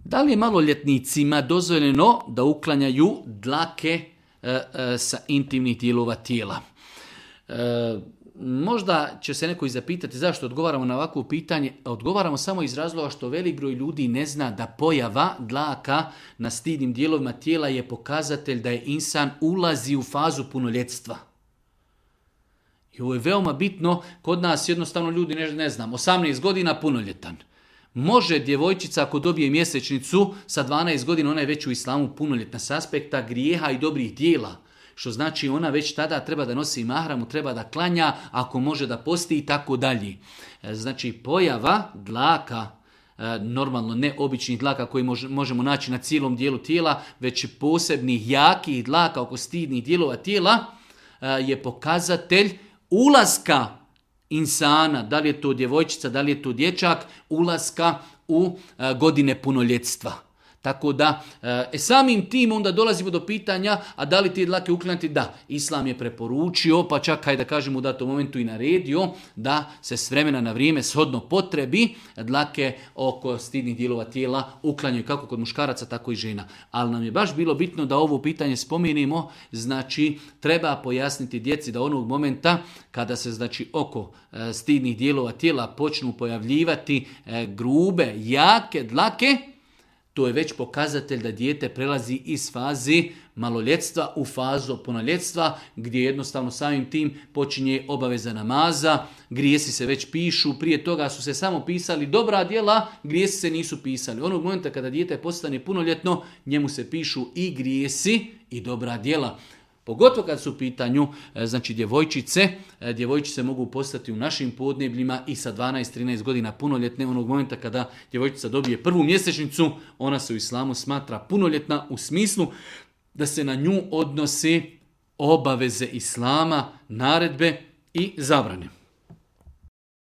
Da li je maloljetnicima dozvoljeno da uklanjaju dlake sa intimnih dijelova tijela? Možda će se neko i zapitati zašto odgovaramo na ovakvo pitanje. Odgovaramo samo iz razloga što velik broj ljudi ne zna da pojava dlaka na stidnim dijelovima tijela je pokazatelj da je insan ulazi u fazu punoljetstva. I ovo je veoma bitno. Kod nas jednostavno ljudi ne znam, 18 godina punoljetan. Može djevojčica ako dobije mjesečnicu sa 12 godina, ona je već u islamu punoljetna s aspekta grijeha i dobrih dijela. Što znači ona već tada treba da nosi mahramu, treba da klanja, ako može da posti i tako dalje. Znači pojava dlaka, normalno ne običnih dlaka koji možemo naći na cijelom dijelu tijela, već posebnih jakih dlaka oko stidnih dijelova tijela je pokazatelj ulaska insana, da li je to djevojčica, da li je to dječak, ulaska u godine punoljetstva. Tako da, samim tim onda dolazimo do pitanja, a da li ti dlake uklanjati? Da, Islam je preporučio, pa čak da kažemo u datom momentu i naredio, da se s vremena na vrijeme shodno potrebi dlake oko stidnih dijelova tijela uklanjaju kako kod muškaraca, tako i žena. Ali nam je baš bilo bitno da ovo pitanje spomenimo, znači treba pojasniti djeci da onog momenta kada se znači oko stidnih dijelova tijela počnu pojavljivati grube, jake dlake, to je već pokazatelj da dijete prelazi iz faze maloljetstva u fazu punoljetstva, gdje jednostavno samim tim počinje obaveza namaza, grijesi se već pišu, prije toga su se samo pisali dobra djela, grijesi se nisu pisali. Onog momenta kada dijete postane punoljetno, njemu se pišu i grijesi i dobra djela. Pogotovo kad su u pitanju znači djevojčice mogu postati u našim podnebljima i sa 12-13 godina punoljetne. Onog momenta kada djevojčica dobije prvu mjesečnicu, ona se u islamu smatra punoljetna u smislu da se na nju odnose obaveze islama, naredbe i zabrane.